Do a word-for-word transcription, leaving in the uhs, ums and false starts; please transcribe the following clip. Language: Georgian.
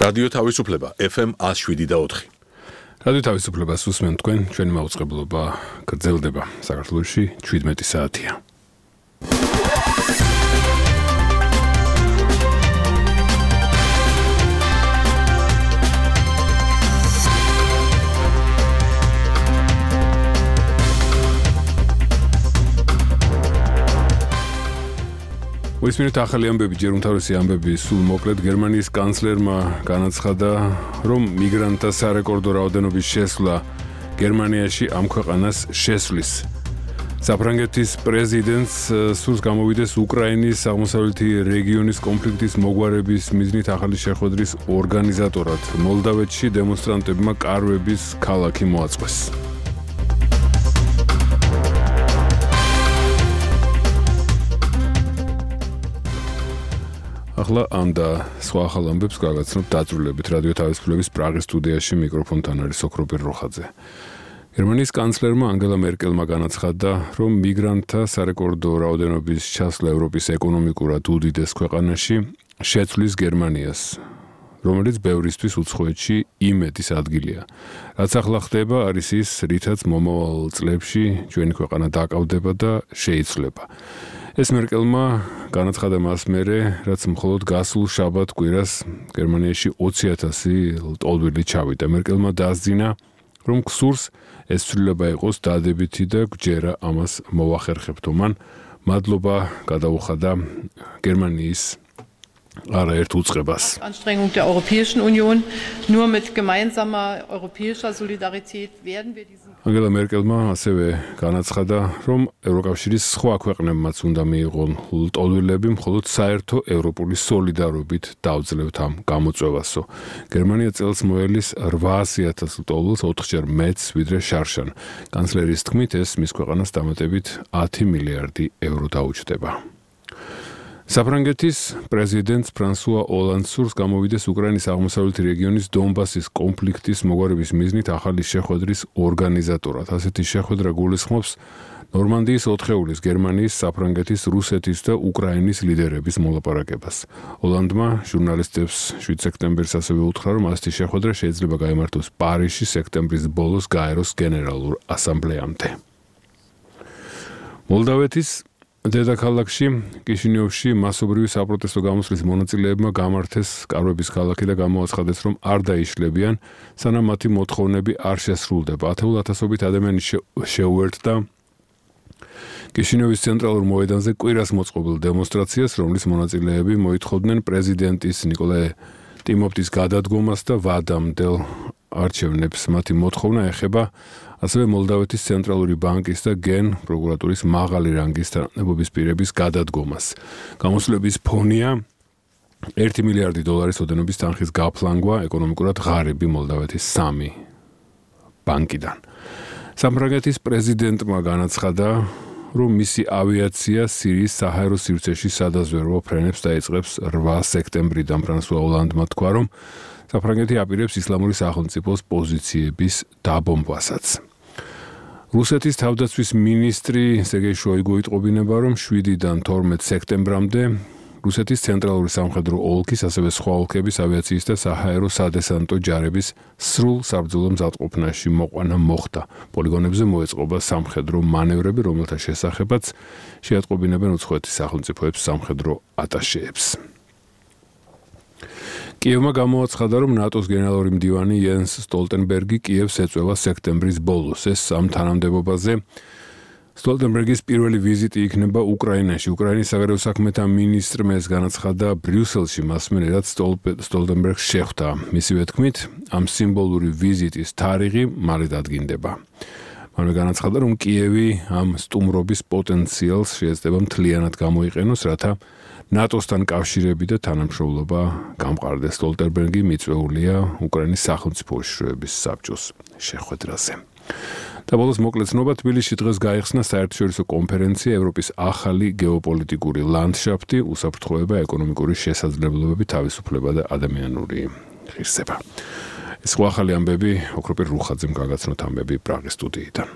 რადიო თავისუფლება ეფ ემ one oh seven point four. რადიო თავისუფლებას უსმენთ თქვენ, ჩვენი მაუწყებლობა გრძელდება. საქართველოში შვიდმეტი საათია. ვისმენთ ახალი ამბები, ჯერ უმთავრესი ამბები, სულ მოკლედ გერმანიის კანცლერმა განაცხადა, რომ მიგრანტთა სარეკორდო რაოდენობის შესვლა გერმანიაში ამ ქვეყანას შესვლის. საფრანგეთის პრეზიდენტს სურს გამოვიდეს უკრაინის აღმოსავლეთი რეგიონის კონფლიქტის მოგვარების მიზნით ახალი შეხვედრის ორგანიზატორად. მოლდავეთში დემონსტრანტებმა კარვების ქალაქი მოაწყვეს. ახლა ამ და სხვა ახალ ამბებს გავაცნობთ დაწვრილებით რადიო თავისუფლების პრაღის სტუდიაში მიკროფონთან არის ოქროპირ როხაძე. გერმანიის კანცლერმა ანგელა მერკელმა განაცხადა, რომ მიგრანტთა სარეკორდო რაოდენობის ჩასვლა ევროპის ეკონომიკურად უდიდეს ქვეყანაში შეცვლის გერმანიას, რომელიც ბევრისთვის უცხოეთში იმედის ადგილია. რაც ახლა ხდება, არის ის, რითაც მომავალ წლებში ჩვენი ქვეყანა დაკავდება და შეიცვლება. ეს მერკელმა განაცხადა მას მერე, რაც მხოლოდ გასულ შაბათ კვირას გერმანიაში ოცი ათასი ლტოლვილი ჩავიდა. მერკელმა დაასძინა, რომ გსურს ეს ცვლილება იყოს დადებითი და გვჯერა ამას მოვახერხებთ. მან მადლობა გადაუხადა გერმანიის არაერთ უწყებას. Anstrengung der Europäischen Union, nur mit gemeinsamer europäischer Solidarität werden wir diesen ანგელა მერკელმა ასევე განაცხადა, რომ ევროკავშირის სხვა ქვეყნებმაც უნდა მიიღონ ლტოლვილები, მხოლოდ საერთო ევროპული სოლიდარობით დავძლევთ ამ გამოწვევასო. გერმანია წელს მოელის რვაასი ათას ლტოლვილს, ოთხჯერ მეტს ვიდრე შარშან. კანცლერის თქმით, ეს მის ქვეყანას დამატებით ათი მილიარდი ევრო დაუჯდება. საფრანგეთის პრეზიდენტს ფრანსუა ოლანდს სურს გამოვიდეს უკრაინის აღმოსავლეთი რეგიონის დონბასის კონფლიქტის მოგვარების მიზნით ახალი შეხვედრის ორგანიზატორად. ასეთი შეხვედრა გულისხმობს ნორმანდიის ოთხეულის, გერმანიის, საფრანგეთის, რუსეთის და უკრაინის ლიდერების მოლაპარაკებას. ოლანდმა ჟურნალისტებს შვიდ სექტემბერს ასევე უთხრა, რომ ასეთი შეხვედრა შეიძლება გაიმართოს პარიზში სექტემბრის ბოლოს გაეროს გენერალურ ასამბლეამდე. მოლდავეთის დედაქალაქში კიშინიოვში მასობრივი საპროტესტო გამოსვლის მონაწილეებმა გამართეს კარვების ქალაქი და გამოაცხადეს, რომ არ დაიშლებიან, სანამ მათი მოთხოვნები არ შესრულდება. ათეულ ათასობით ადამიანი შეუერთდა კიშინიოვის ცენტრალურ მოედანზე კვირას მოწყობილ დემონსტრაციას, რომლის მონაწილეები მოითხოვდნენ პრეზიდენტის ნიკოლაი ტიმოფტის გადადგომას და ვადამდელ არჩევნებს. მათი მოთხოვნა ეხება ასევე მოლდავეთის ცენტრალური ბანკის და გენ პროკურატურის მაღალი რანგის თანამდებობის პირების გადადგომას. გამოსვლების ფონია ერთი მილიარდი დოლარის ოდენობის თანხის გაფლანგვა ეკონომიკურად ღარიბი მოლდავეთის სამი ბანკიდან. საფრანგეთის პრეზიდენტმა განაცხადა, რომ მისი ავიაცია სირიის საჰაერო სივრცეში სადაზვერვო ფრენებს დაიწყებს რვა სექტემბრიდან. ფრანსუა ოლანდმა თქვა, რომ საფრანგეთი აპირებს ისლამური სახელმწიფოს პოზიციების დაბომბვასაც. რუსეთის თავდაცვის მინისტრი სერგეი შოიგუ იტყობინება, რომ შვიდიდან თორმეტ სექტემბრამდე რუსეთის ცენტრალური სამხედრო ოლქის, ასევე სხვა ოლქების ავიაციის და საჰაერო სადესანტო ჯარების სრულ საბრძოლო მზადყოფნაში მოყვანა მოხდა. პოლიგონებზე მოეწყობა სამხედრო მანევრები, რომელთა შესახებაც შეატყობინებენ უცხოეთის სახელმწიფოებს სამხედრო ატაშეებს. კიევმა გამოაცხადა, რომ ნატოს გენერალური მდივანი იენს სტოლტენბერგი კიევს ეწევა სექტემბრის ბოლოს. ეს ამ თანამდებობაზე სტოლტენბერგის პირველი ვიზიტი იქნება უკრაინაში. უკრაინის საგარეო საქმეთა მინისტრმა ეს განაცხადა ბრიუსელში, მას მერე რაც სტოლტენბერგს შეხვდა. მისივე თქმით, ამ სიმბოლური ვიზიტის თარიღი მალე დადგინდება. მან განაცხადა, რომ კიევი ამ სტუმრობის პოტენციალს შეეცდება მთლიანად გამოიყენოს, რათა ნატოსთან კავშირები და თანამშრომლობა გამყარდეს. სტოლტენბერგი მიწვეულია უკრაინის სახელმწიფო უშიშროების საბჭოს შეხვედრაზე. და ბოლოს მოკლედ ცნობა, თბილისში დღეს გაიხსნა საერთაშორისო კონფერენცია ევროპის ახალი გეოპოლიტიკური ლანდშაფტი, უსაფრთხოება, ეკონომიკური შესაძლებლობები, თავისუფლება და ადამიანური ღირსება. ეს ახალი ამბები ოქროპირ რუხაძემ გაგაცნოთ ამბები პრაღის სტუდიიდან.